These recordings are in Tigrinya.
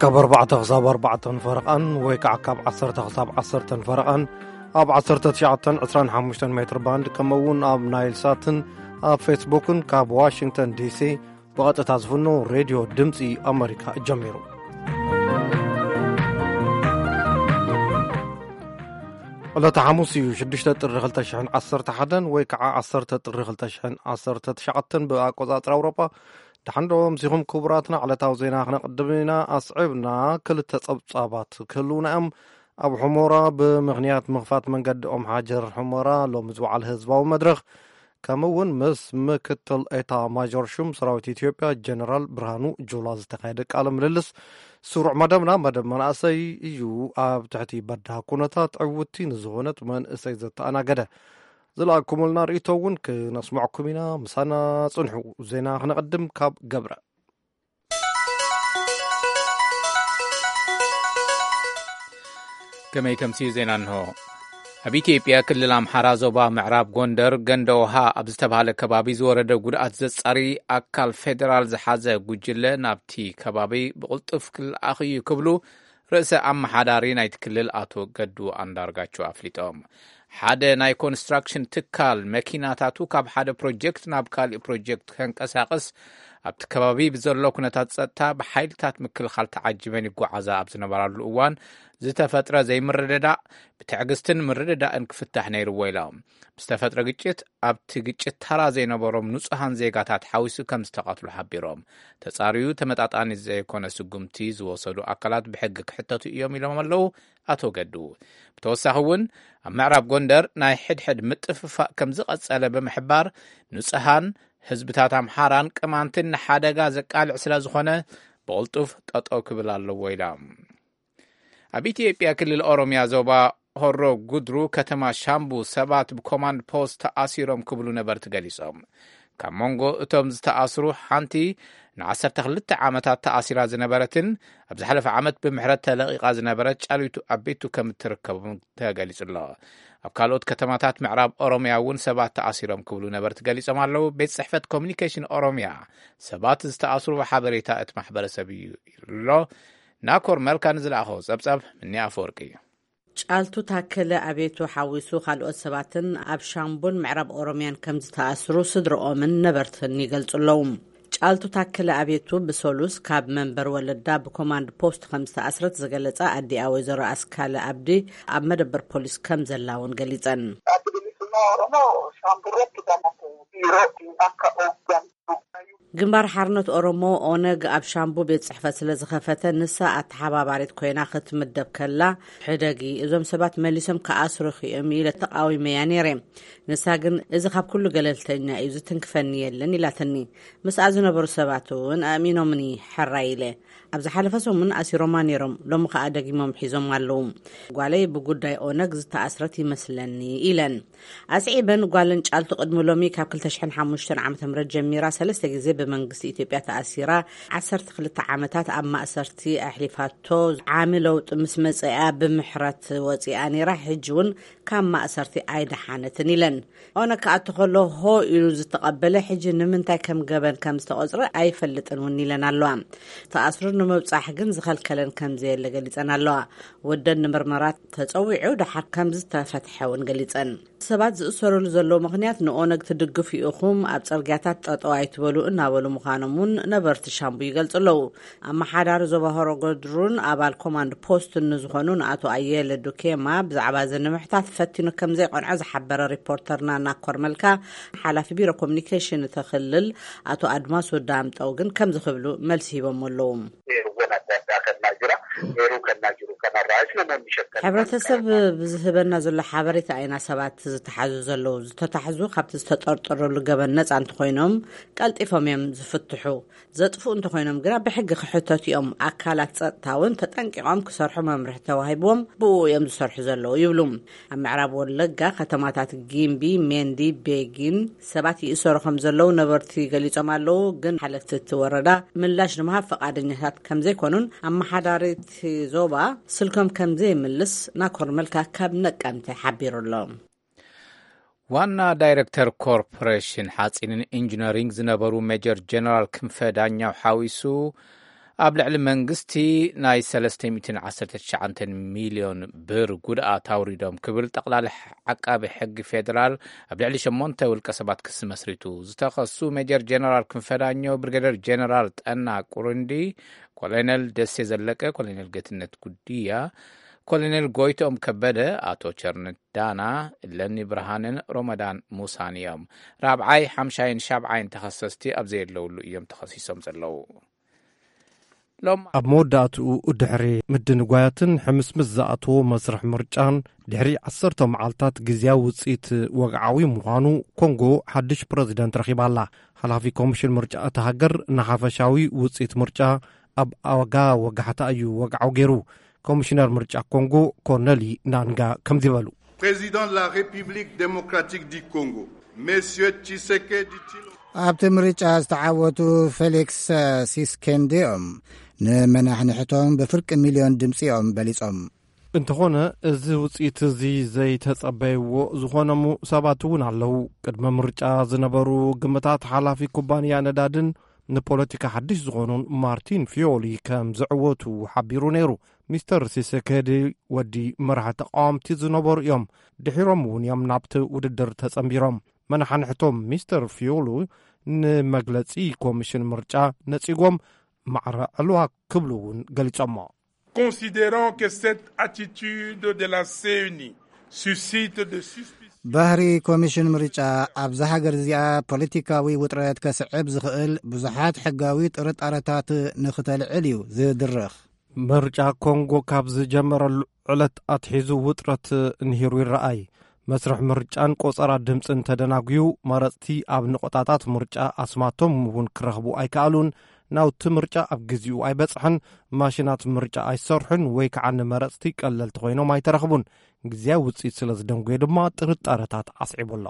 ካብ ኣርባዕተ ክሳብ ኣርባዕተን ፈረቓን ወይ ከዓ ካብ ዓሰርተ ክሳብ ዓሰርተን ፈረቓን ኣብ ዓሰርተ ትሽዓተን ዕስራን ሓሙሽተን ሜትር ባንድ፣ ከምኡ እውን ኣብ ናይል ሳትን ኣብ ፌስቡክን ካብ ዋሽንግተን ዲሲ ብቐጥታ ዝፍኖ ሬድዮ ድምፂ ኣመሪካ ጀሚሩ። ዕለተ ሓሙስ እዩ፣ ሽዱሽተ ጥሪ ክልተ ሽሕን ዓሰርተ ሓደን ወይ ከዓ ዓሰርተ ጥሪ ክልተ ሽሕን ዓሰርተ ትሽዓተን ብኣቆፃፅራ ኣውሮጳ። ደሓን ዶ ኣምሲኹም ክቡራትና? ዕለታዊ ዜና ክነቕድም ኢና። ኣስዒብና ክልተ ጸብጻባት ክህልዉና እዮም። ኣብ ሑመራ ብምኽንያት ምኽፋት መንገዲ ኦም ሓጀር ሑመራ ሎሚ ዝወዓለ ህዝባዊ መድረኽ፣ ከምኡ እውን ምስ ምክትል ኤታ ማጆር ሹም ሰራዊት ኢትዮጵያ ጀነራል ብርሃኑ ጁላ ዝተኻየደ ቃለ ምልልስ ስሩዕ መደብና፣ መደብ መናእሰይ እዩ። ኣብ ትሕቲ በዳህ ኩነታት ዕውቲ ንዝኾነት መንእሰይ ዘተኣናገደ ዝለኣኩምልና ርእይቶ እውን ክነስምዐኩም ኢና። ምሳና ጽንሑ። ዜና ክነቐድም ካብ ገብረ። ከመይ ተምስዩ ዜና እንሆ። ኣብ ኢትዮጵያ ክልል ኣምሓራ ዞባ ምዕራብ ጎንደር ገንደ ውሃ ኣብ ዝተባህለ ከባቢ ዝወረደ ጉድኣት ዘጻሪ ኣካል ፌደራል ዝሓዘ ጉጅለ ናብቲ ከባቢ ብቕልጡፍ ክልኣኽ እዩ ክብሉ ርእሰ ኣመሓዳሪ ናይቲ ክልል ኣቶ ገዱ ኣንዳርጋቸው ኣፍሊጦም። ሓደ ናይ ኮንስትራክሽን ትካል መኪናታቱ ካብ ሓደ ፕሮጀክት ናብ ካሊእ ፕሮጀክት ከንቀሳቕስ ኣብቲ ከባቢ ብዘሎ ኩነታት ጸጥታ ብሓይልታት ምክልኻል ተዓጂበን ይጓዓዛ ኣብ ዝነበራሉ እዋን ዝተፈጥረ ዘይምርድዳእ ብትዕግስትን ምርድዳእን ክፍታሕ ነይርዎ ኢሎም። ብዝተፈጥረ ግጭት ኣብቲ ግጭት ተራ ዘይነበሮም ንጹሃን ዜጋታት ሓዊሱ ከም ዝተቐትሉ ሓቢሮም። ተጻርዩ ተመጣጣኒ ዘይኮነ ስጉምቲ ዝወሰዱ ኣካላት ብሕጊ ክሕተቱ እዮም ኢሎም ኣለዉ ኣቶ ገዱ። ብተወሳኺ እውን ኣብ ምዕራብ ጎንደር ናይ ሕድሕድ ምጥፍፋእ ከም ዝቐጸለ ብምሕባር ንጹሃን ህዝብታት ኣምሓራን ቅማንትን ንሓደጋ ዘቃልዕ ስለ ዝኾነ ብቕልጡፍ ጠጠው ክብል ኣለዎ ኢሎም። ኣብ ኢትዮጵያ ክልል ኦሮሚያ ዞባ ሆሮ ጉድሩ ከተማ ሻምቡ ሰባት ብኮማንድ ፖስት ተኣሲሮም ክብሉ ነበርቲ ገሊጾም። ካብ መንጎ እቶም ዝተኣስሩ ሓንቲ ንዓሰርተ ክልተ ዓመታት ተኣሲራ ዝነበረትን ኣብ ዝሓለፈ ዓመት ብምሕረት ተለቒቓ ዝነበረት ጫሊቱ ኣቤቱ ከም እትርከቡ ተገሊጹ ኣሎ። ኣብ ካልኦት ከተማታት ምዕራብ ኦሮሚያ እውን ሰባት ተኣሲሮም ክብሉ ነበርቲ ገሊጾም ኣለዉ። ቤት ጽሕፈት ኮሚኒኬሽን ኦሮሚያ ሰባት ዝተኣስሩ ሓበሬታ እቲ ማሕበረሰብ እዩ ኢሉ ኣሎ። ናኮር መልካ ንዝለኣኸዎ ጸብጻብ ምኒ ኣፈወርቂ እዩ። ጫልቱ ታከለ ኣቤቱ ሓዊሱ ካልኦት ሰባትን ኣብ ሻምቡን ምዕራብ ኦሮሚያን ከም ዝተኣስሩ ስድረኦምን ነበርትን ይገልጹ ኣለዉ። ጫልቱ ታከለ ኣቤቱ ብሰሉስ ካብ መንበር ወለዳ ብኮማንድ ፖስት ከም ዝተኣስረት ዝገለጸ ኣዲኣ ወይዘሮ ኣስካለ ኣብዲ ኣብ መደበር ፖሊስ ከም ዘላ እውን ገሊጸን። ግንባር ሓርነት ኦሮሞ ኦነግ ኣብ ሻምቡ ቤት ጽሕፈት ስለ ዝኸፈተ ንሳ ኣተሓባባሪት ኮይና ክትምደብ ከላ ሕደጊ እዞም ሰባት መሊሶም ክኣስሩኺ እዮም ኢለ ተቓዊመያ ነይረ። ንሳ ግን እዚ ካብ ኩሉ ገለልተኛ እዩ፣ ዝትንክፈኒ የለን ኢላትኒ። ምስኣ ዝነበሩ ሰባት እውን ኣእሚኖምኒ ሕራይ ኢለ። ኣብ ዝሓለፈ ሰሙን ኣሲሮማ ነይሮም፣ ሎሚ ከኣ ደጊሞም ሒዞም ኣለዉ። ጓለይ ብጉዳይ ኦነግ ዝተኣስረት ይመስለኒ ኢለን። ኣስዒበን ጓለን ጫልቱ ቅድሚ ሎሚ ካብ ክልተ ሽሕን ሓሙሽተን ዓመተ ምህረት ጀሚራ ሰለስተ ግዜ ብመንግስቲ ኢትዮጵያ ተኣሲራ ዓሰርተ ክልተ ዓመታት ኣብ ማእሰርቲ ኣሕሊፋቶ ዓሚ ለውጢ ምስ መጸኣ ብምሕረት ወጺኣ ነይራ። ሕጂ እውን ካብ ማእሰርቲ ኣይደሓነትን ኢለን። ኦነግ ክኣቱ ከሎ ሆ ኢሉ ዝተቐበለ ሕጂ ንምንታይ ከም ገበን ከም ዝተቖጽረ ኣይፈልጥን እውን ኢለን ኣለዋ። ተኣስሩ ንምብጻሕ ግን ዝኸልከለን ከም ዘየለ ገሊጸን ኣለዋ። ወደን ንምርመራ ተጸዊዑ ደሓር ከም ዝተፈትሐ እውን ገሊጸን። ሰባት ዝእሰሩሉ ዘለዉ ምኽንያት ንኦነግ ትድግፉ ኢኹም፣ ኣብ ጽርግያታት ጠጠው ኣይትበሉ እናበሉ ምዃኖም እውን ነበርቲ ሻምቡ ይገልጹ ኣለዉ። ኣመሓዳሪ ዞባ ሆሮ ጉድሩን ኣባል ኮማንድ ፖስትን ንዝኾኑ ንኣቶ ኣየለ ዱኬማ ብዛዕባ እዚ ንምሕታት ፈቲኑ ከም ዘይቀንዖ ዝሓበረ ሪፖርተርና ናኮር መልካ፣ ሓላፊ ቢሮ ኮሚኒኬሽን እቲ ክልል ኣቶ ኣድማሱ ዳምጠው ግን ከምዚ ክብሉ መልሲ ሂቦም ኣለዉ። Eeruwwan adda addaa kan naa jira. Eeruu kan naa jiru kanarraas namoonni shakkan ሕብረተሰብ ብዝህበና ዘሎ ሓበሬታ ኢና ሰባት ዝተሓዙ ዘለዉ። ዝተታሕዙ ካብቲ ዝተጠርጠረሉ ገበን ነጻ እንተኾይኖም ቀልጢፎም እዮም ዝፍትሑ። ዘጥፍኡ እንተኾይኖም ግና ብሕጊ ክሕተቱ እዮም። ኣካላት ጸጥታ እውን ተጠንቂቖም ክሰርሑ መምርሒ ተዋሂብዎም ብኡ እዮም ዝሰርሑ ዘለዉ ይብሉ። ኣብ ምዕራብ ወለጋ ከተማታት ጊምቢ፣ ሜንዲ፣ ቤጊን ሰባት ይእሰሩ ከም ዘለዉ ነበርቲ ገሊጾም ኣለዉ። ግን ሓለፍቲ እቲ ወረዳ ምላሽ ንምሃብ ፈቓደኛታት ከም ዘይኮኑን ኣመሓዳሪ እቲ ዞባ ስልኮም ከም ዘይምልስ ናኮር መልካ ካብ ነቀምተ ሓቢሩ ኣሎ። ዋና ዳይሬክተር ኮርፖሬሽን ሓጺንን ኢንጂነሪንግ ዝነበሩ ሜጀር ጀነራል ክንፈ ዳኛው ሓዊሱ ኣብ ልዕሊ መንግስቲ ናይ ሰለስተ ሚእትን ዓሰርተ ትሽዓተ ሚልዮን ብር ጉድኣት ኣውሪዶም ክብል ጠቕላሊ ዓቃቢ ሕጊ ፌደራል ኣብ ልዕሊ ሸሞንተ ውልቀ ሰባት ክሲ መስሪቱ። ዝተኸሱ ሜጀር ጀነራል ክንፈዳኘው፣ ብርጌደር ጀነራል ጠና ቁሩንዲ፣ ኮሎኔል ደሴ ዘለቀ፣ ኮሎኔል ገትነት ጉድያ፣ ኮሎኔል ጎይቶም ከበደ፣ ኣቶ ቸርነት ዳና፣ እለኒ ብርሃንን ሮመዳን ሙሳን እዮም። ራብዓይ፣ ሓምሻይን ሻብዓይን ተኸሰስቲ ኣብ ዘየለውሉ እዮም ተኸሲሶም ዘለዉ። ሎም ኣብ መወዳእትኡ፣ ድሕሪ ምድንጓያትን ሕምስምስ ዝኣተዎ መስርሕ ምርጫን ድሕሪ ዓሰርተ መዓልታት ግዝያዊ ውጽኢት ወግዓዊ ምዃኑ፣ ኮንጎ ሓድሽ ፕረዚደንት ረኺባ ኣላ። ሓላፊ ኮሚሽን ምርጫ እታ ሃገር ንሓፈሻዊ ውጽኢት ምርጫ ኣብ ኣጋ ወጋሕታ እዩ ወግዓዊ ገይሩ። ኮሚሽነር ምርጫ ኮንጎ ኮርነሊ ናንጋ ከምዚ በሉ። Président de la République démocratique du Congo, Monsieur Tshisekedi Tshilombo. ኣብቲ ምርጫ ዝተዓወቱ ፌሊክስ ሲስኬንዲኦም ንመናሕንሕቶም ብፍርቂ ሚልዮን ድምፂኦም በሊፆም። እንተኾነ፣ እዚ ውፅኢት እዚ ዘይተጸበይዎ ዝኾነሙ ሰባት እውን ኣለዉ። ቅድመ ምርጫ ዝነበሩ ግምታት ሓላፊ ኩባንያ ነዳድን ንፖለቲካ ሓድሽ ዝኾኑን ማርቲን ፊዮሊ ከም ዝዕወቱ ሓቢሩ ነይሩ። ሚስተር ሲሰከዲ ወዲ መራሒ ተቃወምቲ ዝነበሩ እዮም። ድሒሮም እውን እዮም ናብቲ ውድድር ተጸንቢሮም። መናሓንሕቶም ሚስተር ፊዮሉ ንመግለጺ ኮሚሽን ምርጫ ነጺጎም ማዕረ ዕልዋ ክብሉ እውን ገሊጾሞ። Considérant que cette attitude de la C E N I suscite de suspicions. ባህሪ ኮሚሽን ምርጫ ኣብዛ ሃገር እዚኣ ፖለቲካዊ ውጥረት ከስዕብ ዝኽእል ብዙሓት ሕጋዊ ጥርጣረታት ንኽተልዕል እዩ ዝድርኽ። ምርጫ ኮንጎ ካብ ዝጀመረሉ ዕለት ኣትሒዙ ውጥረት ንሂሩ ይረኣይ። መስርሕ ምርጫን ቆጸራ ድምጽን ተደናጉዩ፣ መረጽቲ ኣብ ንቆጣታት ምርጫ ኣስማቶም እውን ክረኽቡ ኣይከኣሉን። ናውቲ ምርጫ ኣብ ግዜኡ ኣይበጽሐን። ማሽናት ምርጫ ኣይሰርሑን ወይ ከዓ ንመረጽቲ ቀለልቲ ኮይኖም ኣይተረኽቡን። ግዜያዊ ውጽኢት ስለ ዝደንጎየ ድማ ጥርጣረታት ኣስዒቡ ኣሎ።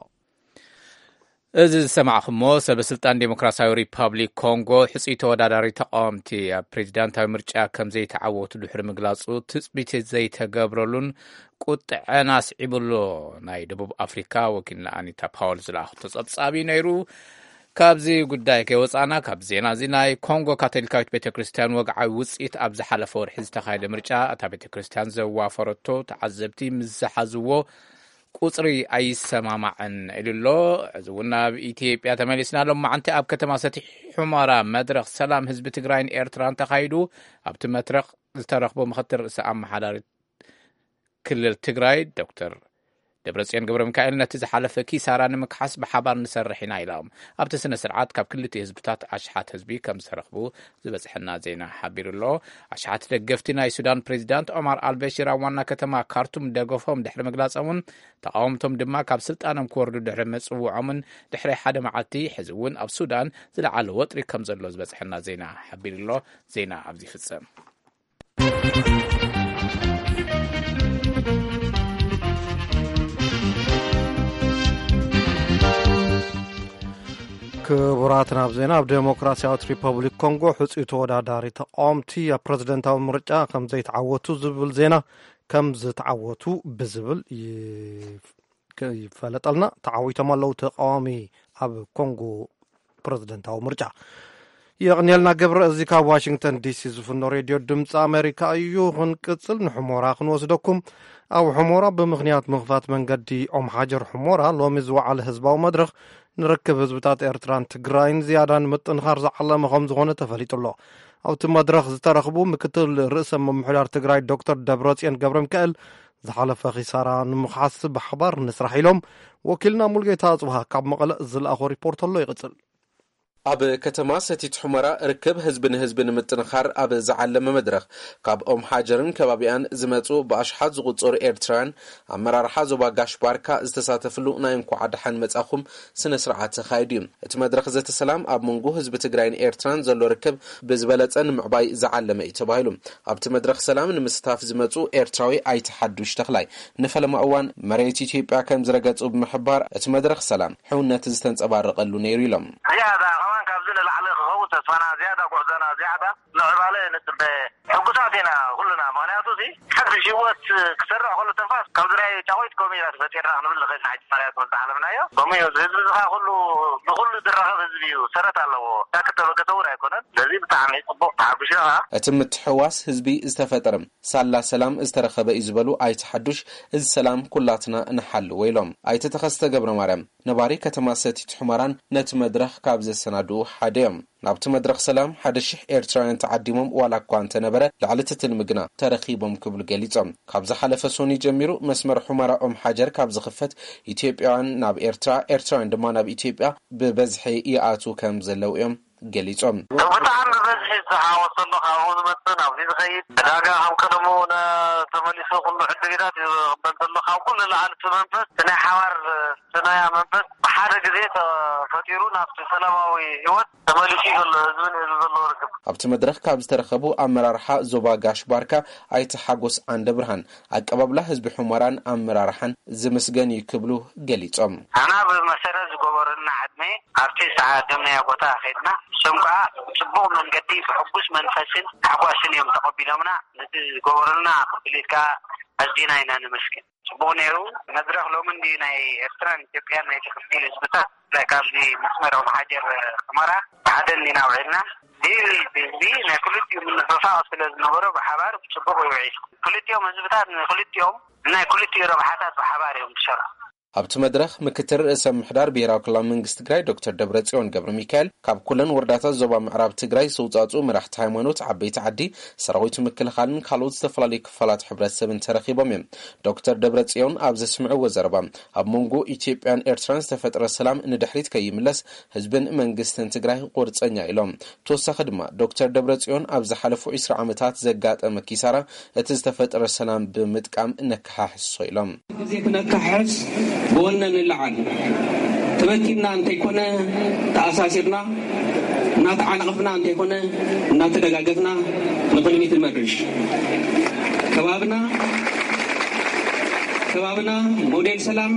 እዚ ዝሰማዕኹሞ፣ ሰበ ስልጣን ዴሞክራሲያዊ ሪፓብሊክ ኮንጎ ሕጹይ ተወዳዳሪ ተቃወምቲ ኣብ ፕሬዚዳንታዊ ምርጫ ከም ዘይተዓወቱ ድሕሪ ምግላጹ፣ ትጽቢት ዘይተገብረሉን ቁጥዐን ኣስዒቡ ኣሎ። ናይ ደቡብ ኣፍሪካ ወኪልና ኣኒታ ፓወል ዝለኣኹ ተጸብጻቢ ነይሩ። ካብዚ ጉዳይ ከይወጻና፣ ካብ ዜና እዚ፣ ናይ ኮንጎ ካቶሊካዊት ቤተ ክርስቲያን ወግዓዊ ውጽኢት ኣብ ዝሓለፈ ወርሒ ዝተኻየደ ምርጫ፣ እታ ቤተ ክርስቲያን ዘዋፈረቶ ተዓዘብቲ ምስ ዝሓዝዎ ቁጽሪ ኣይሰማማዕን ኢሉ ኣሎ። እዚ እውን ናብ ኢትዮጵያ ተመሊስና። ሎማዓንቲ ኣብ ከተማ ሰቲት ሑመራ መድረኽ ሰላም ህዝቢ ትግራይን ኤርትራን ተኻይዱ። ኣብቲ መድረኽ ዝተረኽቡ ምክትል ርእሰ ኣመሓዳሪ ክልል ትግራይ ዶክተር ደብረጽዮን ገብረ ሚካኤል፣ ነቲ ዝሓለፈ ኪሳራ ንምክሓስ ብሓባር ንሰርሕ ኢና ኢሎም። ኣብቲ ስነ ስርዓት ካብ ክልቲኡ ህዝብታት ኣሽሓት ህዝቢ ከም ዝተረኽቡ ዝበጽሐና ዜና ሓቢሩ ኣሎ። ኣሽሓት ደገፍቲ ናይ ሱዳን ፕሬዚዳንት ኦማር ኣልበሽር ኣብ ዋና ከተማ ካርቱም ደገፎም ድሕሪ ምግላጾምን፣ ተቃወምቶም ድማ ካብ ስልጣኖም ክወርዱ ድሕሪ ምጽውዖምን፣ ድሕሪ ሓደ መዓልቲ፣ ሕዚ እውን ኣብ ሱዳን ዝለዓለ ወጥሪ ከም ዘሎ ዝበጽሐና ዜና ሓቢሩ ኣሎ። ዜና ኣብዚ ይፍጸም። ክቡራት፣ ናብ ዜና፣ ኣብ ዴሞክራሲያዊት ሪፐብሊክ ኮንጎ ሕጹይ ተወዳዳሪ ተቃወምቲ ኣብ ፕረዚደንታዊ ምርጫ ከም ዘይተዓወቱ ዝብል ዜና፣ ከም ዝተዓወቱ ብዝብል ይፍ-፣ ይፈለጠልና። ተዓዊቶም ኣለዉ ተቃዋሚ ኣብ ኮንጎ ፕረዚደንታዊ ምርጫ። የቕንየልና ገብረ፣ እዚ ካብ ዋሽንግተን ዲሲ ዝፍኖ ሬድዮ ድምፂ ኣሜሪካ እዩ። ክንቅፅል ንሑሞራ ክንወስደኩም። ኣብ ሑሞራ ብምኽንያት ምኽፋት መንገዲ ኦም ሓጀር ሑሞራ ሎሚ ዝወዓለ ህዝባዊ መድረኽ ንርክብ ህዝብታት ኤርትራን ትግራይን ዝያዳ ንምጥንኻር ዝዓለመ ከም ዝኾነ ተፈሊጡ ኣሎ። ኣብቲ መድረኽ ዝተረኽቡ ምክትል ርእሰ ምምሕዳር ትግራይ ዶክተር ደብረጽዮን ገብረ ሚካኤል፣ ዝሓለፈ ኺሳራ ንምኽሓስ ብሓባር ንስራሕ ኢሎም ወኪልና ሙልጌታ ኣጽብሃ ካብ መቐለ ዝለኣኾ ሪፖርት ኣሎ ይቕጽል። ኣብ ከተማ ሰቲት ሑመራ ርክብ ህዝቢ ንህዝቢ ንምጥንኻር ኣብ ዝዓለመ መድረኽ፣ ካብ ኦም ሓጀርን ከባቢኣን ዝመጹ ብኣሽሓት ዝቑጸሩ ኤርትራውያን፣ ኣመራርሓ ዞባ ጋሽ ባርካ ዝተሳተፍሉ ናይ እንኳዕ ደሓን መጻኹም ስነ ስርዓት ተኻይዱ እዩ። እቲ መድረኽ ዘተ ሰላም ኣብ መንጎ ህዝቢ ትግራይን ኤርትራን ዘሎ ርክብ ብዝበለጸ ንምዕባይ ዝዓለመ እዩ ተባሂሉ። ኣብቲ መድረኽ ሰላም ንምስታፍ ዝመጹ ኤርትራዊ ኣይተ ሓዱሽ ተኽላይ፣ ንፈለማ እዋን መሬት ኢትዮጵያ ከም ዝረገጹ ብምሕባር፣ እቲ መድረኽ ሰላም ሕውነት ዝተንጸባረቐሉ ነይሩ ኢሎም። ዝያዳ ከማን ካብዚ ንላዕሊ ክኸውን ተስፋና፣ ዝያዳ ጉዕዞና፣ ዝያዳ ምዕባለ ንጽበ። ሕጉሳት ኢና ኩልና፣ ምኽንያቱ እዚ ሓድሽ ህይወት ክሰርዕ ከሎ ተንፋስ ከምዚ ናይ ጫቑት ከምኡ ኢና ተፈጢርና ክንብል ንኽእል ኢና። ሕጂ መርያ ትምህርቲ ዓለምና እዮ። ከምኡ እዩ። እዚ ህዝቢ እዚ ኸዓ ኩሉ፣ ብኹሉ ዝራኸብ ህዝቢ እዩ። ሰረት ኣለዎ። እታ ክተበገሰ እውን ኣይኮነን። ስለዚ እዚ ብጣዕሚ ጽቡቕ፣ ተሓጒሰ ከኣ። እቲ ምትሕውዋስ ህዝቢ ዝተፈጠረ ሳላ ሰላም ዝተረኸበ እዩ ዝበሉ ኣይተ ሓዱሽ፣ እዚ ሰላም ኩላትና ንሓልዎ ኢሎም። ኣይተ ተኸስተ ገብረ ማርያም ነባሪ ከተማ ሰቲት ሑመራን ነቲ መድረኽ ካብ ዘሰናድኡ ሓደ እዮም። ናብቲ መድረኽ ሰላም ሓደ ሽሕ ኤርትራውያን ተዓዲሞም ዋላ እኳ እንተነበረ፣ ልዕሊ እቲ ትልሚ ግና ተረኺቦም ክብሉ ገሊጾም። ካብ ዝሓለፈ ሶኒ ጀሚሩ መስመር ሑመራ ኦም ሓጀር ካብ ዝኽፈት፣ ኢትዮጵያውያን ናብ ኤርትራ፣ ኤርትራውያን ድማ ናብ ኢትዮጵያ ብበዝሒ ይኣትዉ ከም ዘለዉ እዮም ገሊጾም። ብጣዕሚ ብበዝሒ ዝተሓወስ ዘሎ፣ ካብኡ ዝመጽእ ናብዚ ዝኸይድ ዕዳጋ ከም ቀደሙ ነ-፣ ተመሊሱ ኩሉ ዕድጊታት እዩ ዝቕበል ዘሎ። ካብ ኩሉ ንላዕሊ እቲ መንፈስ፣ እቲ ናይ ሓባር፣ እቲ ናይ መንፈስ ብሓደ ግዜ ተፈጢሩ ናብቲ ሰላማዊ ህይወት ተመሊሱ እዩ ዘሎ ህዝቢ ንህዝቢ ዘለዎ ርክብ። ኣብቲ መድረኽ ካብ ዝተረኸቡ ኣመራርሓ ዞባ ጋሽ ባርካ ኣይተ ሓጎስ ዓንደ ብርሃን ኣቀባብላ ህዝቢ ሑመራን ኣመራርሓን ዝምስገን እዩ ክብሉ ገሊጾም። ኣና ብመሰረት ዝገበሩልና ዕድመ ኣብቲ ዝተዓደምናዮ ቦታ ከይድና፣ እሶም ከኣ ብጽቡቕ መንገዲ ብሕጉስ መንፈስን ታሕጓስን እዮም ተቐቢሎምና። ነቲ ዝገበሩልና ክፍሊት ከኣ ኣዚና ኢና ነመስግን። ጽቡቕ ነይሩ። መድረኽ ሎሚ እንድዩ ናይ ኤርትራን ኢትዮጵያን ናይ ክልቲኡ ህዝብታት፣ ብፍላይ ካብዚ መስመር ኦም ሓጀር ሑመራ ብሓደ እንዲና ውዒልና። እዚ ህዝቢ ናይ ክልቲኡ ምንፍፋቕ ስለ ዝነበሮ ብሓባር ብጽቡቕ ይውዒል። ክልቲኦም ህዝብታት ንክልቲኦም ናይ ክልቲኡ ረብሓታት ብሓባር እዮም ዝሰርሑ። ኣብቲ መድረኽ ምክትል ርእሰ ምምሕዳር ብሄራዊ ክልላዊ መንግስቲ ትግራይ ዶክተር ደብረጽዮን ገብረ ሚካኤል፣ ካብ ኩለን ወረዳታት ዞባ ምዕራብ ትግራይ ዝተውጻእጹ መራሕቲ ሃይማኖት፣ ዓበይቲ ዓዲ፣ ሰራዊት ምክልኻልን ካልኦት ዝተፈላለዩ ክፋላት ሕብረተሰብን ተረኺቦም እዮም። ዶክተር ደብረጽዮን ኣብ ዘስምዕዎ ዘረባ፣ ኣብ መንጎ ኢትዮጵያን ኤርትራን ዝተፈጥረ ሰላም ንድሕሪት ከይምለስ ህዝብን መንግስትን ትግራይ ቁርጸኛ ኢሎም። ብተወሳኺ ድማ ዶክተር ደብረጽዮን ኣብ ዝሓለፉ ዕስራ ዓመታት ዘጋጠመ ኪሳራ እቲ ዝተፈጠረ ሰላም ብምጥቃም ነከሓሕሶ ኢሎም። ግዜ ክነካሕስ ብወነ ንለዓል። ተበቲንና እንተይኮነ ተኣሳሲርና፣ እናተዓናቐፍና እንተይኮነ እናተደጋገፍና ንቕድሚት ንመርሽ። ከባብና ከባብና ሞዴል ሰላም፣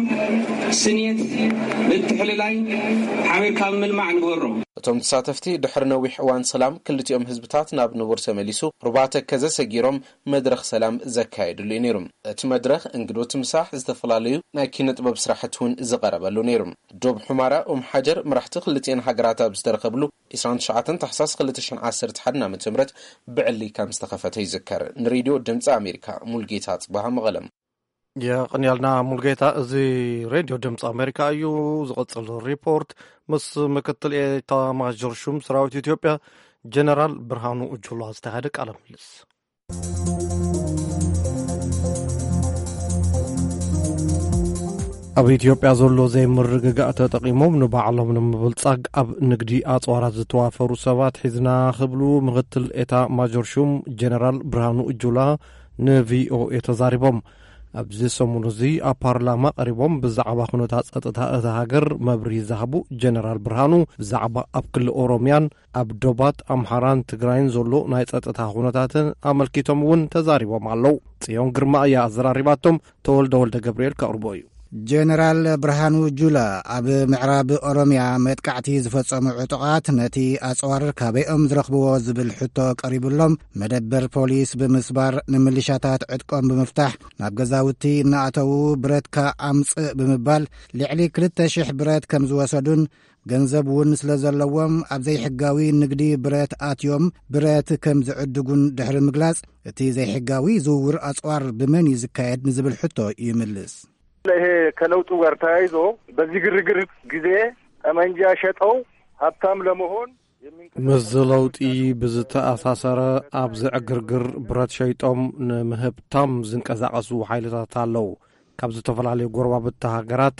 ስንየት፣ ምትሕልላይ፣ ሓቢርካ ምልማዕ ንግበሮ። እቶም ተሳተፍቲ ድሕሪ ነዊሕ እዋን ሰላም ክልቲኦም ህዝብታት ናብ ንቡር ተመሊሱ ሩባ ተከዘ ሰጊሮም መድረኽ ሰላም ዘካየድሉ እዩ ነይሩ። እቲ መድረኽ እንግዶት ምሳሕ፣ ዝተፈላለዩ ናይ ኪነ ጥበብ ስራሕቲ እውን ዝቐረበሉ ነይሩ። ዶብ ሑማራ ኡም ሓጀር መራሕቲ ክልቲኤን ሃገራት ኣብ ዝተረኸብሉ ዕስራን ትሽዓተን ታሕሳስ ክልተ ሽሕን ዓሰርተ ሓደን ዓመተ ምህረት ብዕሊ ከም ዝተኸፈተ ይዝከር። ንሬድዮ ድምፂ ኣሜሪካ ሙልጌታ ጽባሃ መቐለም። የቐንያልና ሙልጌታ። እዚ ሬድዮ ድምፂ ኣሜሪካ እዩ። ዝቐጽል ሪፖርት ምስ ምክትል ኤታ ማዦር ሹም ሰራዊት ኢትዮጵያ ጀነራል ብርሃኑ ጁላ ዝተኻየደ ቃለ ምልልስ። ኣብ ኢትዮጵያ ዘሎ ዘይምርግጋእ ተጠቒሞም ንባዕሎም ንምብልጻግ ኣብ ንግዲ ኣጽዋራት ዝተዋፈሩ ሰባት ሒዝና ክብሉ ምክትል ኤታ ማጆር ሹም ጀነራል ብርሃኑ ጁላ ንቪኦኤ ተዛሪቦም። ኣብዚ ሰሙን እዚ ኣብ ፓርላማ ቀሪቦም ብዛዕባ ኩነታት ጸጥታ እታ ሃገር መብርሂ ዝሃቡ ጀነራል ብርሃኑ፣ ብዛዕባ ኣብ ክልል ኦሮምያን ኣብ ዶባት ኣምሓራን ትግራይን ዘሎ ናይ ጸጥታ ኩነታትን ኣመልኪቶም እውን ተዛሪቦም ኣለዉ። ጽዮን ግርማ እያ ኣዘራሪባቶም። ተወልደ ወልደ ገብርኤል ከቕርቦ እዩ። ጀነራል ብርሃኑ ጁላ ኣብ ምዕራብ ኦሮምያ መጥቃዕቲ ዝፈጸሙ ዕጡቓት ነቲ ኣጽዋር ካበይኦም ዝረኽብዎ ዝብል ሕቶ ቀሪቡሎም፣ መደበር ፖሊስ ብምስባር፣ ንምልሻታት ዕጥቆም ብምፍታሕ፣ ናብ ገዛውቲ እናኣተዉ ብረትካ ኣምጽእ ብምባል፣ ልዕሊ ክልተ ሽሕ ብረት ከም ዝወሰዱን፣ ገንዘብ እውን ስለ ዘለዎም፣ ኣብ ዘይሕጋዊ ንግዲ ብረት ኣትዮም ብረት ከም ዝዕድጉን ድሕሪ ምግላጽ፣ እቲ ዘይሕጋዊ ዝውውር ኣጽዋር ብመን እዩ ዝካየድ ንዝብል ሕቶ ይምልስ። ይሄ ከለውጡ ጋር ተያይዞ በዚህ ግርግር ጊዜ ጠመንጃ ሸጠው ሀብታም ለመሆን ምስዚ ለውጢ ብዝተኣሳሰረ፣ ኣብዚ ዕግርግር ብረት ሸይጦም ንምህብታም ዝንቀሳቐሱ ሓይልታት ኣለዉ። ካብ ዝተፈላለዩ ጎረባብቲ ሃገራት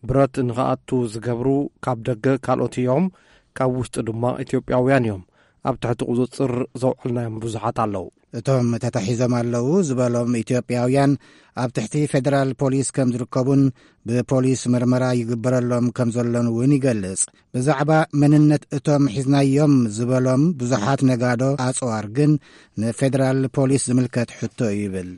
ብረት ንኽኣቱ ዝገብሩ ካብ ደገ ካልኦት እዮም፣ ካብ ውሽጢ ድማ ኢትዮጵያውያን እዮም። ኣብ ትሕቲ ቁጽጽር ዘውዕልናዮም ብዙሓት ኣለዉ። እቶም ተታሒዞም ኣለዉ ዝበሎም ኢትዮጵያውያን ኣብ ትሕቲ ፌደራል ፖሊስ ከም ዝርከቡን ብፖሊስ መርመራ ይግበረሎም ከም ዘሎን እውን ይገልጽ። ብዛዕባ መንነት እቶም ሒዝናዮም ዝበሎም ብዙሓት ነጋዶ ኣጽዋር ግን ንፌደራል ፖሊስ ዝምልከት ሕቶ እዩ ይብል።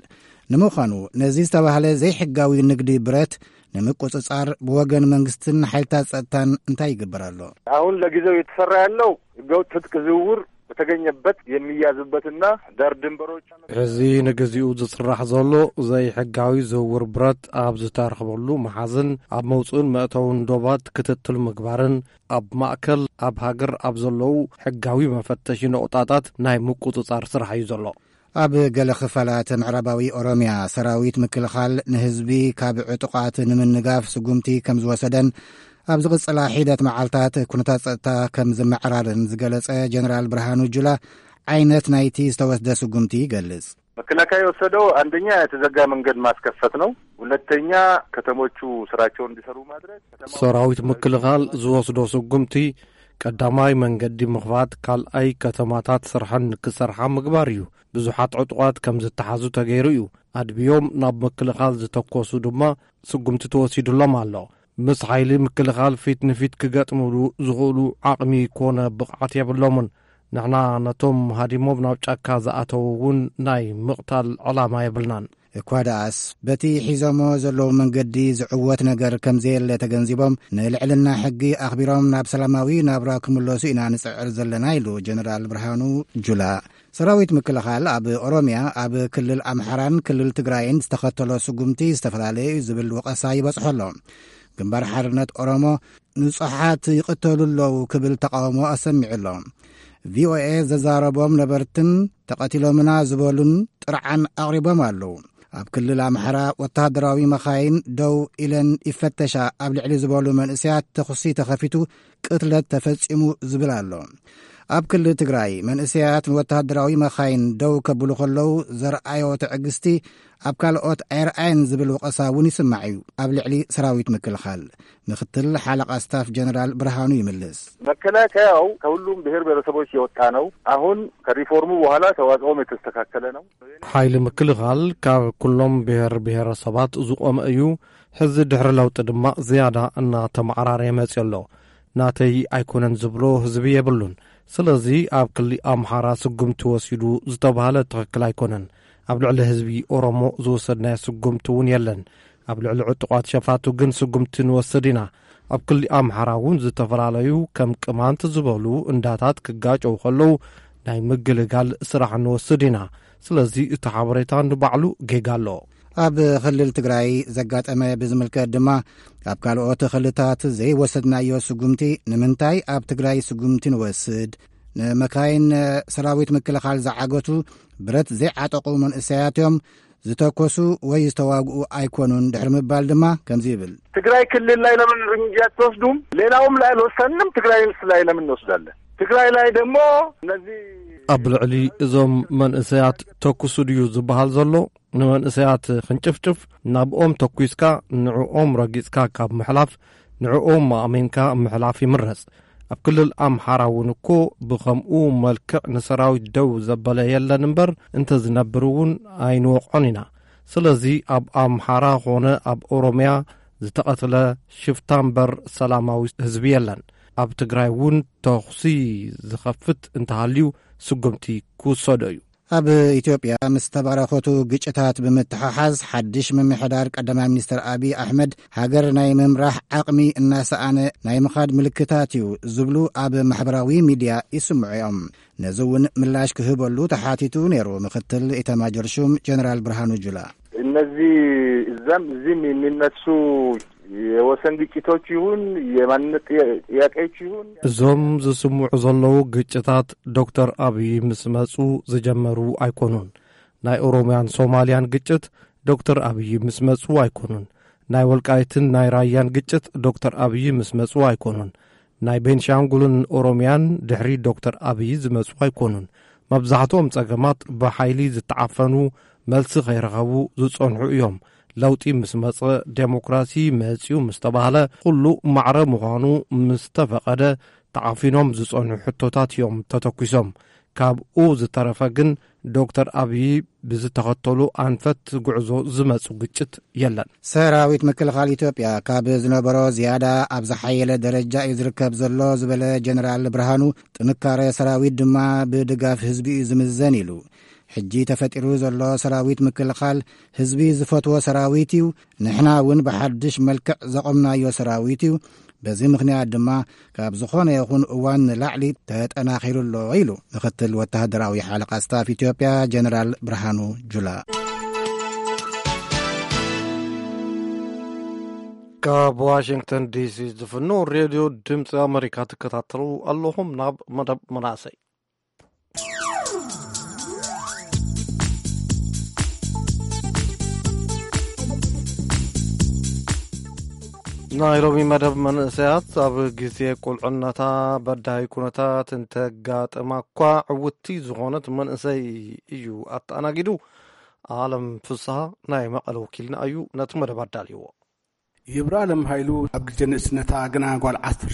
ንምዃኑ ነዚ ዝተባህለ ዘይሕጋዊ ንግዲ ብረት ንምቁጽጻር ብወገን መንግስትን ሓይልታት ጸጥታን እንታይ ይግበር ኣሎ? አሁን ለጊዜው የተሰራ ያለው ህገወጥ ትጥቅ ዝውውር በተገኘበት የሚያዝበትና ዳር ድንበሮች ሕዚ ንግዚኡ ዝስራሕ ዘሎ ዘይሕጋዊ ዝውውር ብረት ኣብ ዝተረኽበሉ መሓዝን ኣብ መውፅእን መእተውን ዶባት ክትትል ምግባርን ኣብ ማእከል ኣብ ሃገር ኣብ ዘለዉ ሕጋዊ መፈተሺ ነቑጣታት ናይ ምቁጽጻር ስራሕ እዩ ዘሎ። ኣብ ገለ ክፋላት ምዕራባዊ ኦሮምያ ሰራዊት ምክልኻል ንህዝቢ ካብ ዕጡቓት ንምንጋፍ ስጉምቲ ከም ዝወሰደን ኣብ ዝቕጽላ ሒደት መዓልታት ኩነታት ጸጥታ ከም ዝመዕራርን ዝገለጸ ጀነራል ብርሃኑ ጁላ፣ ዓይነት ናይቲ ዝተወስደ ስጉምቲ ይገልጽ። መከላከያ የወሰደው አንደኛ የተዘጋ መንገድ ማስከፈት ነው። ሁለተኛ ከተሞቹ ስራቸውን እንዲሰሩ ማድረግ። ሰራዊት ምክልኻል ዝወስዶ ስጉምቲ ቀዳማይ መንገዲ ምኽፋት፣ ካልኣይ ከተማታት ስርሐን ክሰርሓ ምግባር እዩ። ብዙሓት ዕጡቓት ከም ዝተሓዙ ተገይሩ እዩ። ኣድብዮም ናብ ምክልኻል ዝተኮሱ ድማ ስጉምቲ ተወሲዱሎም ኣሎ። ምስ ሓይሊ ምክልኻል ፊት ንፊት ክገጥምሉ ዝኽእሉ ዓቕሚ ኮነ ብቕዓት የብሎምን። ንሕና ነቶም ሃዲሞም ናብ ጫካ ዝኣተዉ እውን ናይ ምቕታል ዕላማ የብልናን። እኳ ደኣስ፣ በቲ ሒዞሞ ዘለዉ መንገዲ ዝዕወት ነገር ከም ዘየለ ተገንዚቦም፣ ንልዕልና ሕጊ ኣኽቢሮም ናብ ሰላማዊ ናብራ ክምለሱ ኢና ንጽዕር ዘለና ኢሉ ጀነራል ብርሃኑ ጁላ። ሰራዊት ምክልኻል ኣብ ኦሮምያ፣ ኣብ ክልል ኣምሓራን ክልል ትግራይን ዝተኸተሎ ስጉምቲ ዝተፈላለየ እዩ ዝብል ወቐሳ ይበጽሖ ኣሎ። ግንባር ሓርነት ኦሮሞ፣ ንጹሓት ይቕተሉ ኣለዉ ክብል ተቃውሞ ኣሰሚዑ ኣሎ። ቪኦኤ ዘዛረቦም ነበርትን ተቐቲሎምና ዝበሉን ጥርዓን ኣቕሪቦም ኣለዉ። ኣብ ክልል ኣምሓራ ወተሃደራዊ መኻይን ደው ኢለን ይፈተሻ ኣብ ልዕሊ ዝበሉ መንእሰያት ተኹሲ ተኸፊቱ ቅትለት ተፈጺሙ ዝብል ኣሎ። ኣብ ክልል ትግራይ መንእሰያት ንወተሃደራዊ መኻይን ደው ከብሉ ከለዉ ዘርኣዮ ትዕግስቲ ኣብ ካልኦት ኣይርኣየን ዝብል ወቐሳ እውን ይስማዕ እዩ ኣብ ልዕሊ ሰራዊት ምክልኻል። ምክትል ሓለቓ ስታፍ ጀነራል ብርሃኑ ይምልስ። መከላከያው ከሁሉም ብሔር ብሔረሰቦች የወጣ ነው። አሁን ከሪፎርሙ በኋላ ተዋጽኦም የተስተካከለ ነው። ሓይሊ ምክልኻል ካብ ኩሎም ብሔር ብሔረሰባት ዝቖመ እዩ። ሕዚ ድሕሪ ለውጢ ድማ ዝያዳ እናተመዓራረየ መፅዮ ኣሎ። ናተይ ኣይኮነን ዝብሎ ህዝቢ የብሉን። ስለዚ ኣብ ክሊ ኣምሓራ ስጉምቲ ወሲዱ ዝተባህለ ትኽክል ኣይኮነን። ኣብ ልዕሊ ህዝቢ ኦሮሞ ዝወሰድናዮ ስጉምቲ እውን የለን። ኣብ ልዕሊ ዕጡቓት ሸፋቱ ግን ስጉምቲ ንወስድ ኢና። ኣብ ክሊ ኣምሓራ እውን ዝተፈላለዩ ከም ቅማንት ዝበሉ እንዳታት ክጋጨው ከለዉ ናይ ምግልጋል ስራሕ ንወስድ ኢና። ስለዚ እቲ ሓበሬታ ንባዕሉ ጌጋ ኣሎ። ኣብ ክልል ትግራይ ዘጋጠመ ብዝምልከት ድማ፣ ኣብ ካልኦት ክልታት ዘይወሰድናዮ ስጉምቲ፣ ንምንታይ ኣብ ትግራይ ስጉምቲ ንወስድ? ንመካይን ሰራዊት ምክልኻል ዝዓገቱ ብረት ዘይዓጠቑ መንእሰያት እዮም ዝተኮሱ ወይ ዝተዋግኡ ኣይኮኑን ድሕሪ ምባል ድማ ከምዚ ይብል። ትግራይ ክልል ላይ ለምን እርምጃ አትወስዱም? ሌላውም ላይ አልወሰንም። ትግራይ ላይ ለምን እንወስዳለን? ትግራይ ላይ ደግሞ እነዚህ ኣብ ልዕሊ እዞም መንእሰያት ተኩሱ ድዩ ዝበሃል ዘሎ? ንመንእሰያት ክንጭፍጭፍ ናብኦም ተኩስካ ንዕኦም ረጊጽካ ካብ ምሕላፍ፣ ንዕኦም ኣእሚንካ ምሕላፍ ይምረጽ። ኣብ ክልል ኣምሓራ እውን እኮ ብኸምኡ መልክዕ ንሰራዊት ደው ዘበለ የለን እምበር፣ እንተዝነብር እውን ኣይንወቕዖን ኢና። ስለዚ ኣብ ኣምሓራ ኾነ ኣብ ኦሮምያ ዝተቐትለ ሽፍታ እምበር ሰላማዊ ህዝቢ የለን። ኣብ ትግራይ እውን ተኹሲ ዝኸፍት እንተሃልዩ ስጉምቲ ክውሰዶ እዩ። ኣብ ኢትዮጵያ ምስ ተበራኸቱ ግጭታት ብምትሕሓዝ፣ ሓድሽ ምምሕዳር ቀዳማይ ሚኒስትር ኣቢይ ኣሕመድ ሃገር ናይ ምምራሕ ዓቕሚ እናሰኣነ ናይ ምኻድ ምልክታት እዩ ዝብሉ ኣብ ማሕበራዊ ሚድያ ይስምዑ እዮም። ነዚ እውን ምላሽ ክህበሉ ተሓቲቱ ነይሩ ምክትል ኢታማጆር ሹም ጀነራል ብርሃኑ ጁላ። እነዚህ እዛም እዚህም የሚነሱ የወሰን ግጭቶች ይሁን የማንነት ጥያ- ጥያቄዎች ይሁን እዞም ዝስምዑ ዘለዉ ግጭታት ዶክተር ኣብይ ምስ መጹ ዝጀመሩ ኣይኮኑን። ናይ ኦሮምያን ሶማልያን ግጭት ዶክተር ኣብይ ምስ መጹ ኣይኮኑን። ናይ ወልቃይትን ናይ ራያን ግጭት ዶክተር ኣብይ ምስ መጹ ኣይኮኑን። ናይ ቤንሻንጉልን ኦሮምያን ድሕሪ ዶክተር ኣብይ ዝመጹ ኣይኮኑን። መብዛሕትኦም ጸገማት ብሓይሊ ዝተዓፈኑ፣ መልሲ ከይረኸቡ ዝጸንሑ እዮም። ለውጢ ምስ መጸ፣ ዴሞክራሲ መጽዩ ምስ ተባህለ፣ ኩሉ ማዕረ ምዃኑ ምስ ተፈቐደ፣ ተዓፊኖም ዝጸንሑ ሕቶታት እዮም ተተኲሶም። ካብኡ ዝተረፈ ግን ዶክተር ኣብይ ብዝተኸተሉ ኣንፈት ጉዕዞ ዝመጹ ግጭት የለን። ሰራዊት ምክልኻል ኢትዮጵያ ካብ ዝነበሮ ዝያዳ ኣብ ዝሓየለ ደረጃ እዩ ዝርከብ ዘሎ ዝበለ ጀነራል ብርሃኑ፣ ጥንካረ ሰራዊት ድማ ብድጋፍ ህዝቢ እዩ ዝምዘን ኢሉ። ሕጂ ተፈጢሩ ዘሎ ሰራዊት ምክልኻል ህዝቢ ዝፈትዎ ሰራዊት እዩ። ንሕና እውን ብሓድሽ መልክዕ ዘቖምናዮ ሰራዊት እዩ። በዚ ምኽንያት ድማ ካብ ዝኾነ ይኹን እዋን ንላዕሊ ተጠናኺሩ ኣሎ ኢሉ ምኽትል ወተሃደራዊ ሓለቓ ስታፍ ኢትዮጵያ ጀነራል ብርሃኑ ጁላ። ካብ ዋሽንግተን ዲሲ ዝፍኖ ሬድዮ ድምፂ ኣመሪካ ትከታተሉ ኣለኹም። ናብ መደብ መናእሰይ። ናይ ሎሚ መደብ መንእሰያት ኣብ ግዜ ቁልዕነታ በዳሂ ኩነታት እንተጋጥማ እኳ ዕውቲ ዝኾነት መንእሰይ እዩ ኣተኣናጊዱ። ኣለም ፍስሃ ናይ መቐለ ወኪልና እዩ ነቲ መደብ ኣዳልይዎ። ይብራለም ሃይሉ ኣብ ግዜ ንእስነታ ግና ጓል ዓሰርተ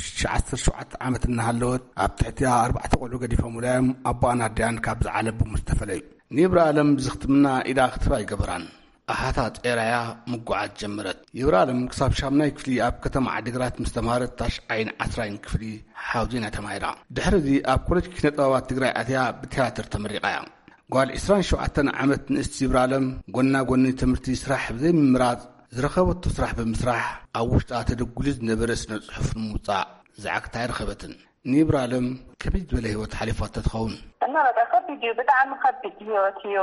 ሸውዓተ ዓመት እናሃለወት ኣብ ትሕቲኣ ኣርባዕተ ቆልዑ ገዲፎም ውላዮም ኣቦኣን ኣዲኣን ካብ ዝዓለቡ ምስ ተፈለዩ። ንይብራለም ብዝኽትምና ኢዳ ክትባ ኣይገበራን። ኣሓታ ጤራያ ምጉዓዝ ጀመረት። ይብራለም ክሳብ ሻምናይ ክፍሊ ኣብ ከተማ ዓዲግራት ምስ ተምሃረት ታሽዓይን ዓስራይን ክፍሊ ሓውዜና ተማሂራ። ድሕሪ እዚ ኣብ ኮሌጅ ኪነ ጥበባት ትግራይ ኣትያ ብትያትር ተመሪቓ እያ። ጓል ዕስራን ሸውዓተን ዓመት ንእስቲ ይብራለም ጎና ጎኒ ትምህርቲ ስራሕ ብዘይምምራጽ ዝረኸበቶ ስራሕ ብምስራሕ ኣብ ውሽጣ ተደጉሉ ዝነበረ ስነ ጽሑፍ ንምውጻእ ዝዓግታ ኣይረኸበትን። ንይብራለም ከቢድ ዝበለ ህይወት ሓሊፋቶ ትኸውን። እና በቃ ከቢድ እዩ፣ ብጣዕሚ ከቢድ ህይወት እዩ።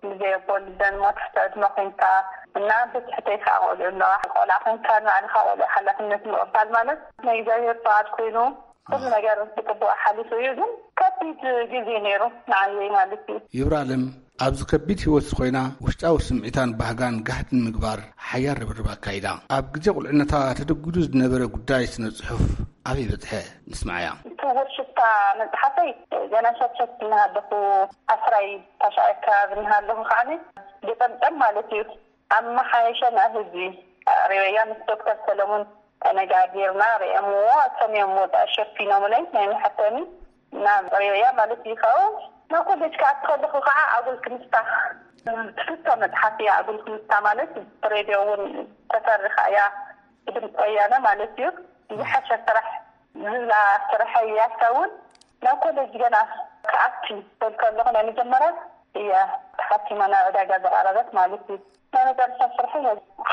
ብዘይ ኣቦ ልደን ሞት ትሕቲ ዕድመ ኮይንካ እና ብትሕተይ ከዓ ቆልዑ ኣለዋ። ቆልዓ ኮይንካ ንባዕልኻ ቆልዑ ሓላፍነት ምቕባል ማለት ናይ እግዚኣብሔር ፍቓድ ኮይኑ ኩሉ ነገር ብፅቡቅ ሓሊፉ እዩ። ግን ከቢድ ግዜ ነይሩ ንዓየይ ማለት እዩ። ይብራለም ኣብዚ ከቢድ ህይወት ኮይና ውሽጣዊ ስምዒታን ባህጋን ጋህዲ ንምግባር ሓያል ርብርብ ኣካይዳ። ኣብ ግዜ ቁልዕነታ ተደጉዱ ዝነበረ ጉዳይ ስነ ጽሑፍ ኣበይ በጽሐ? ንስምዓያ። ስውር ሽፍታ መጽሓፈይ ገና ሸብሸብ እናሃለኹ ዓስራይ ታሽዓይ ኣካባቢ እናሃለኹ ከዓኒ ግጥምጥም ማለት እዩ ኣመሓየሸ ናብ ህዝቢ ኣቕሪበያ ምስ ዶክተር ሰለሙን ተነጋጊርና ርእየምዎ፣ እቶም እዮም ወፃኢ ሸፊኖምለይ ናይ መሐተሚ ናብ ርእዮያ ማለት እዩ። ካብኡ ናብ ኮሌጅ ክኣቱ ከለኹ ከዓ ኣጉል ክምስታ ትፍቶ መፅሓፍ እያ። ኣጉል ክምስታ ማለት ብሬድዮ እውን ተተርኻ እያ፣ ብድምፂ ወያነ ማለት እዩ። ዝሓሸ ስራሕ ዝብላ ስራሕ እያ። እሳ እውን ናብ ኮሌጅ ገና ክኣቱ ክብል ከለኹ ናይ መጀመርያ እያ ተሓቲማ ናብ ዕዳጋ ዝቐረበት ማለት እዩ። ናይ መጨረሻ ስርሐይ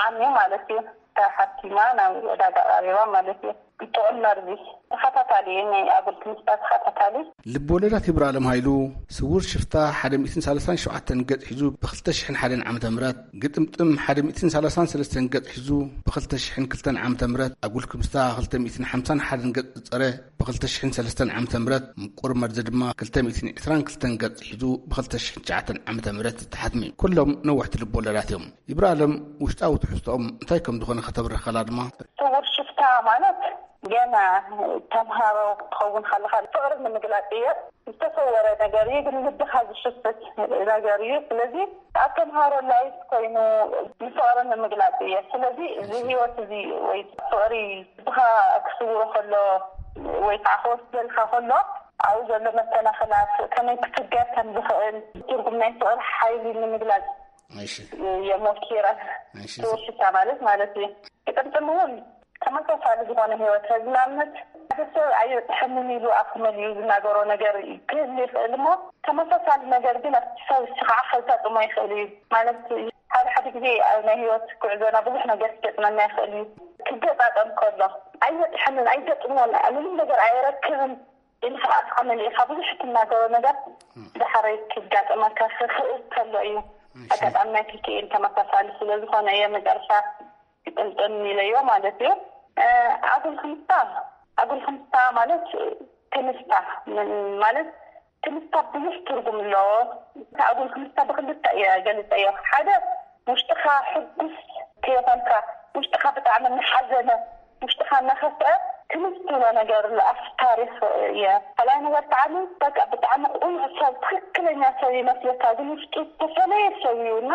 ዓምዩ ማለት እዩ። ተሓቲማ ናብ ዕዳጋ ቀሪባ ማለት እዩ። ጥዑም መርዚ ተኸታታሊ እዩ፣ ናይ ኣጉል ትምህርትታት ተኸታታሊ። ልብ ወለዳት ይብራለም ሃይሉ፣ ስውር ሽፍታ ሓደ ሚእትን ሰላሳን ሸውዓተን ገጽ ሒዙ ብ ክልተ ሽሕን ሓደን ዓመተ ምህረት፣ ግጥምጥም ሓደ ሚእትን ሰላሳን ሰለስተን ገጽ ሒዙ ብ ክልተ ሽሕን ክልተን ዓመተ ምህረት፣ ኣጉል ክምስታ ክልተ ሚእትን ሓምሳን ሓደን ገጽ ዝጸረ ብ ክልተ ሽሕን ሰለስተን ዓመተ ምህረት፣ ምቁር መርዚ ድማ ክልተ ሚእትን ዕስራን ክልተን ገጽ ሒዙ ብ ክልተ ሽሕን ትሽዓተን ዓመተ ምህረት ዝተሓትመ እዩ። ኩሎም ነዋሕቲ ልብ ወለዳት እዮም። ይብራለም ውሽጣዊ ትሕዝቶኦም እንታይ ከም ዝኾነ ከተብርኸላ ድማ። ስውር ሽፍታ ማለት ገና ተምሃሮ ክትኸውን ከለኻ ፍቕሪ ንምግላጽ እየ። ዝተሰወረ ነገር እዩ፣ ግን ልብኻ ዝሽፍት ነገር እዩ። ስለዚ ኣብ ተምሃሮ ላይፍ ኮይኑ ንፍቕሪ ንምግላጽ እየ። ስለዚ እዚ ህይወት እዚ ወይ ፍቕሪ ልብኻ ክስውሮ ከሎ ወይ ከዓ ክወስደልካ ከሎ ኣብኡ ዘሎ መሰናኽላት ከመይ ክትገር ከም ዝኽእል ትርጉም ናይ ፍቕሪ ሓይሊ ንምግላጽ እሺ። የሞኪረ እሺ። ትውሽታ ማለት ማለት እዩ። ግጥምጥም እውን ተመሳሳሊ ዝኾነ ህይወት ህዝቢ ንኣብነት ሓደ ሰብ ኣይበፅሐንን ኢሉ ኣፍ መሊኡ ዝናገሮ ነገር ክህል ይኽእል እሞ ተመሳሳሊ ነገር ግን ኣብቲ ሰብ እሱ ከዓ ከጋጥሞ ይኽእል እዩ። ማለት ሓደ ሓደ ግዜ ኣብ ናይ ህይወት ጉዕዞና ብዙሕ ነገር ክገጥመና ይኽእል እዩ። ክገጣጠም ከሎ ኣይበፅሐንን ኣይገጥሞን ምንም ነገር ኣይረክብን ኢልካ ኣፍካ መሊእካ ብዙሕ እትናገሮ ነገር ዳሕረይ ክጋጠመካ ክኽእል ከሎ እዩ። ኣጋጣሚ ናይ ክክኤል ተመሳሳሊ ስለ ዝኾነ እየ መጨረሻ ግጥምጥም ኢለዮ ማለት እዩ። ኣጉል ክምስታ ኣጉል ክምስታ ማለት ክምስታ ማለት ክምስታ ብዙሕ ትርጉም ኣለዎ። ኣጉል ክምስታ ብክልተ እየ ገልፀዮ። ሓደ ውሽጥኻ ሕጉስ ከይኾንካ ውሽጥኻ ብጣዕሚ እናሓዘነ ውሽጥኻ እናኸፍአ ክምስ ትብሎ ነገር ኣሎ ኣብቲ ታሪክ እየ። ካልኣይ ነገር ከዓ በቃ ብጣዕሚ ቁኑዕ ሰብ ትክክለኛ ሰብ ይመስለካ ግን ውሽጡ ዝተፈለየ ሰብ እዩ እና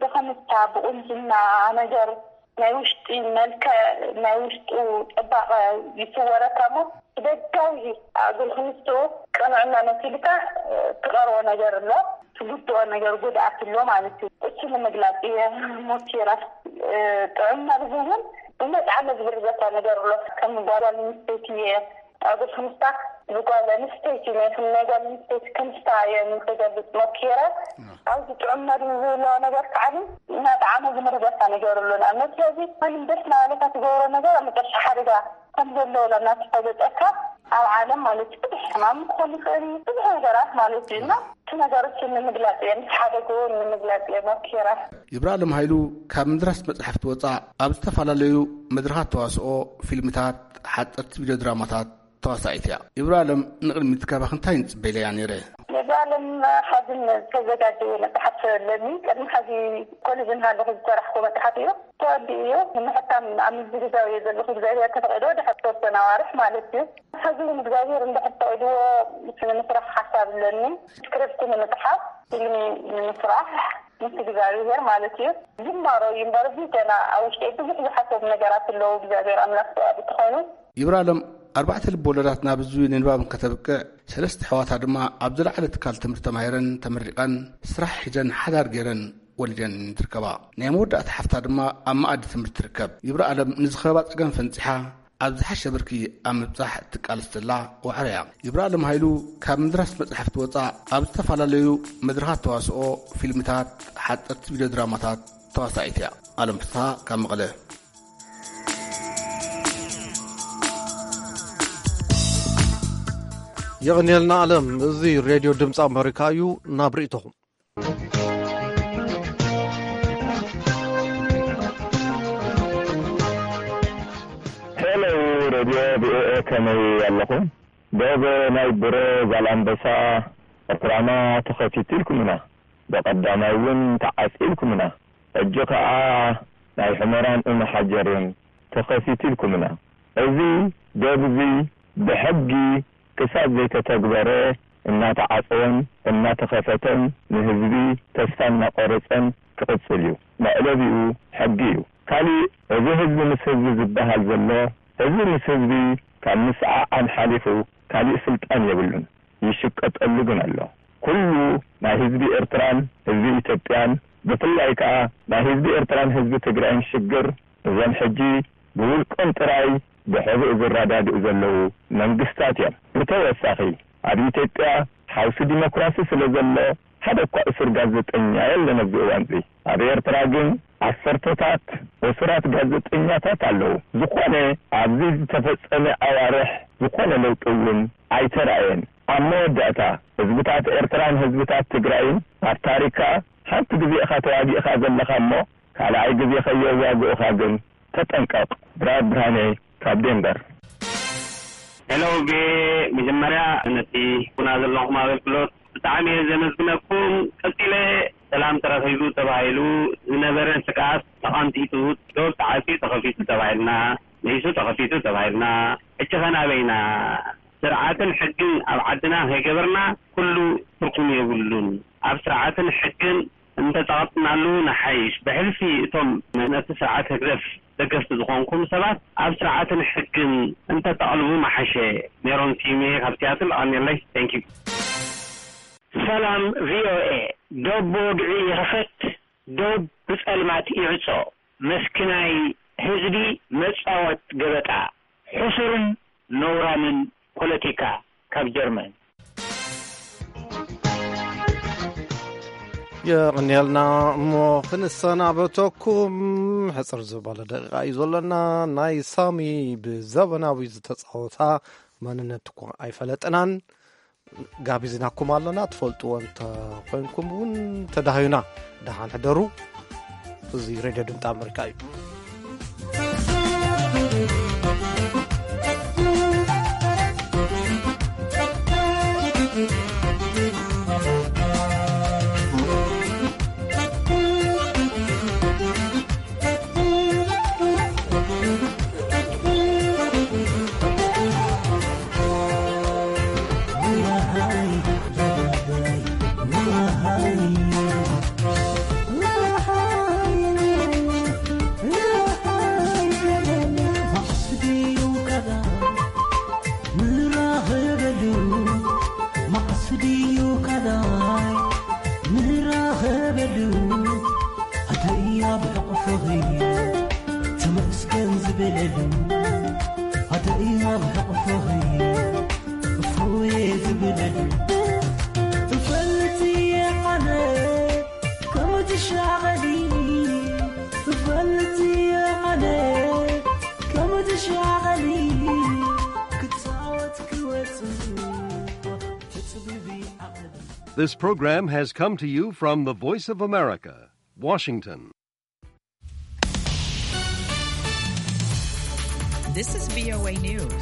ብክምስታ ብቁንጅና ነገር ናይ ውሽጢ መልክዕ ናይ ውሽጡ ፅባቐ ይስወረካ እሞ ብደጋዊ ኣጉል ክምስኡ ቅንዕና መሲልካ ትቐርቦ ነገር ኣሎ ትጉድኦ ነገር ጉድኣት ኣሎ ማለት እዩ። እሱ ንምግላፅ እየ ሞኪረ። ጥዑም መርዚ እውን ብመጥዓሚ ዝብርዘካ ነገር ኣሎ ከም ጓል ኣንስተይቲ እየ ኣጉል ክምስታ ብጓል ኣንስተይቲ ናይ ናይ ጓል ኣንስተይቲ ክምስታ እየ ክገልፅ ሞኪረ። ኣብዚ ጥዑም መርዚ ዝብሎ ነገር ከዓ እናጠዓመ ዝምርዘካ ነገር ኣሎ ንኣብነት ስለዚ ማንም ደስ እናበለካ ትገብሮ ነገር ኣብ መጨረሻ ሓደጋ ከም ዘሎ ላና ተፈለጠካ ኣብ ዓለም ማለት እዩ። ብዙሕ ሕማም ክኾን ይኽእል እዩ፣ ብዙሕ ነገራት ማለት እዩ። እና እቲ ነገሮች ንምግላጽ እየ፣ ምስ ሓደግዎ ንምግላጽ እየ ሞኪረ። ይብራለም ሃይሉ ካብ ምድራስ መጽሓፍቲ ወጻእ ኣብ ዝተፈላለዩ መድረኻት ተዋስኦ፣ ፊልምታት፣ ሓጸርቲ ቪድዮ ድራማታት ተዋሳኢት እያ። ይብራለም ንቕድሚት ካባኺ እንታይ ንጽበ ኢለ እያ ነይረ? ይብራለም ሓዚ ዝተዘጋጀየ መጽሓፍ ኣለኒ። ቅድሚ ሓዚ ኮሌጅ እንሃለኹ ዝሰራሕኩ መጽሓፍ እዩ። ተወዲኡ እዩ። ንምሕታም ኣብ ምዝግጃው እየ ዘለኹ። እግዚኣብሔር ተፈቒዶ ድሕሪ ዝተወሰነ ኣዋርሕ ማለት እዩ። ሕዚ እውን እግዚኣብሔር እንድሕር ፈቒድዎ ምስ ንምስራሕ ሓሳብ ኣለኒ። ስክሪፕት ንምጽሓፍ፣ ፊልም ንምስራሕ ምስ እግዚኣብሔር ማለት እዩ። ጅማሮ እዩ እምበር፣ እዚ ገና ኣብ ውሽጠይ ብዙሕ ዝሓሰቡ ነገራት ኣለዉ። እግዚኣብሔር ኣምላኽ ፍቓዱ እንተኾይኑ። ይብራለም ኣርባዕተ ልብ ወለዳት ናብ ህዝቢ ንንባብ እንከተብቅዕ፣ ሰለስተ ኣሕዋታ ድማ ኣብ ዝለዓለ ትካል ትምህርቲ ተማሂረን ተመሪቐን ስራሕ ሒዘን ሓዳር ገይረን ወሊደን ትርከባ። ናይ መወዳእታ ሓፍታ ድማ ኣብ መኣዲ ትምህርቲ ትርከብ። ይብራለም ንዝኸባ ጸገም ፈንጺሓ ኣብ ዝሓሸ ብርኪ ኣብ ምብጻሕ እትቃለስ ዘላ ዋዕሮ እያ። ይብራለም ሃይሉ ካብ ምድራስ መጽሓፍቲ ወጻእ ኣብ ዝተፈላለዩ መድረኻት ተዋስኦ፣ ፊልምታት፣ ሓጸርቲ ቪድዮ ድራማታት ተዋሳኢት እያ። ኣለም ፍስሃ ካብ መቐለ። የቐንየልና ኣለም። እዚ ሬድዮ ድምፂ ኣመሪካ እዩ። ናብ ርእይቶኹም። ሄሎ ሬድዮ ቪኦኤ፣ ከመይ ኣለኹም? ዶብ ናይ ብሮ ዛላምበሳ ዕፍራና ተኸፊቱ ኢልኩምና፣ ብቐዳማይ እውን ተዓጽዩ ኢልኩምና። ሕጂ ኸኣ ናይ ሑመራን እምሓጀርን ተኸፊቱ ኢልኩምና። እዚ ዶብ እዚ ብሕጊ ክሳብ ዘይተተግበረ እናተዓጸወን እናተኸፈተን ንህዝቢ ተስፋ እናቖረጸን ክቕጽል እዩ። መዕለቢኡ ሕጊ እዩ። ካሊእ እዚ ህዝቢ ምስ ህዝቢ ዝበሃል ዘሎ፣ ህዝቢ ምስ ህዝቢ ካብ ምስዓዓን ሓሊፉ ካሊእ ስልጣን የብሉን። ይሽቀጠሉ ግን ኣሎ። ኩሉ ናይ ህዝቢ ኤርትራን ህዝቢ ኢትዮጵያን ብፍላይ ከኣ ናይ ህዝቢ ኤርትራን ህዝቢ ትግራይን ሽግር እዞም ሕጂ ብውልቆም ጥራይ ብሕቡእ ዝረዳድኡ ዘለዉ መንግስታት እዮም። ብተወሳኺ ኣብ ኢትዮጵያ ሓውሲ ዲሞክራሲ ስለ ዘሎ ሓደ እኳ እሱር ጋዜጠኛ የለን ኣብዚ እዋንዚ። ኣብ ኤርትራ ግን ዓሰርተታት እሱራት ጋዜጠኛታት ኣለዉ። ዝኾነ ኣብዚ ዝተፈጸመ ኣዋርሕ ዝኾነ ለውጢ እውን ኣይተራእየን። ኣብ መወዳእታ ህዝብታት ኤርትራን ህዝብታት ትግራይን ኣብ ታሪካ ሓንቲ ግዜ ኢኻ ተዋጊእኻ ዘለኻ እሞ ካልኣይ ግዜ ከየዋግኡኻ ግን ተጠንቀቕ። ብራር ብርሃነ ካብ ዴንቨር። ሄሎ ቪኦኤ፣ መጀመርያ ነቲ ኩና ዘለኹም ኣገልግሎት ብጣዕሚ እየ ዘመስግነኩም። ቀጺለ ሰላም ተረኺቡ ተባሂሉ ዝነበረ ስግኣት ተቐንጢጡ፣ ዶብ ተዓጽዩ ተኸፊቱ ተባሂልና፣ ንኢሱ ተኸፊቱ ተባሂልና፣ ሕጂ ኸ ናበይና? ስርዓትን ሕግን ኣብ ዓድና ከይገበርና ኩሉ ትርጉም የብሉን። ኣብ ስርዓትን ሕግን እንተጸቐጥናሉ ንሓይሽ። ብሕልፊ እቶም ነቲ ስርዓት ህግደፍ ደገፍቲ ዝኾንኩም ሰባት ኣብ ስርዓትን ሕግን እንተተቐልቡ ምሓሸ። ሜሮን ስዩሜ ካብ ሲያትል፣ ኣቐንየለይ። Thank you። ሰላም ቪኦኤ፣ ዶብ ብወግዒ ይኽፈት፣ ዶብ ብጸልማት ይዕጾ፣ መስኪናይ ህዝቢ መጻወት ገበጣ፣ ሕሱርን ነውራምን ፖለቲካ። ካብ ጀርመን። የቕንየልና። እሞ ክንሰናበተኩም ሕፅር ዝበለ ደቂቃ እዩ ዘለና። ናይ ሳሚ ብዘበናዊ ዝተፃወታ መንነት እኮ ኣይፈለጥናን። ጋቢዝናኩም ኣለና። ትፈልጥዎ እንተኾይንኩም እውን ተዳሃዩና። ደሓን ሕደሩ። እዚ ሬድዮ ድምፂ ኣመሪካ እዩ። This program has come to you from the Voice of America, Washington. This is V O A News.